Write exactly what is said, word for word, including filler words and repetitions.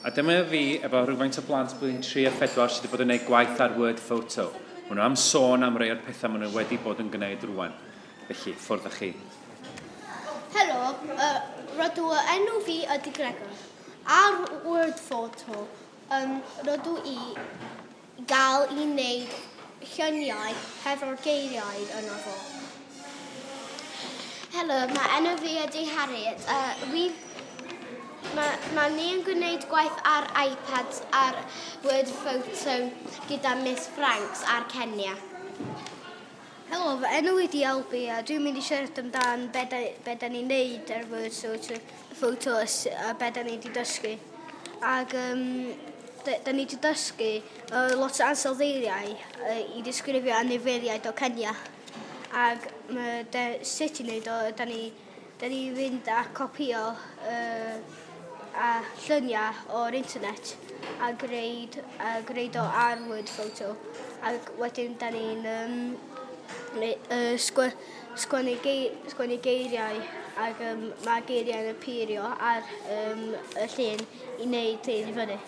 A dyma fi efo rhywfaint o blant blwyddyn tri a phedwar sydd wedi bod yn gwneud gwaith ar Word Photo. Maen nhw am sôn am rai o'r pethau maen nhw wedi bod yn gwneud rwan. Felly, ffwrdd â chi. Helo, uh, rydw enw fi ydy Gregor. Ar Word Photo, um, rydw i gael i wneud lluniau hefo'r geiriau yno fo. Helo, mae enw fi ydy Harriet. Uh, wi, mae, mae ni yn gwneud gwaith ar iPads ar Word Photo gyda Miss Franks ar Kenya. Helo, fy enw i di Albi a dwi'n mynd i siarad amdan be da, be da ni'n neud ar Word Photo, Photo a s- a be da ni wedi dysgu. Ac um, da, da ni wedi dysgu uh, lot o ansoddeiriau uh, i disgrifio anifeiliaid o Kenya. Ac ma, de, sut i wneud o, da ni, da ni fynd a copio uh, a lluniau o'r internet a gwneud, a gwneud o ar Word Photo. Ac wedyn da ni'n um, neu, uh, sgwe, sgwennu, gei, sgwennu geiriau ac um, mae geiriau yn appeario ar um, y llun i wneud hyn i fyny.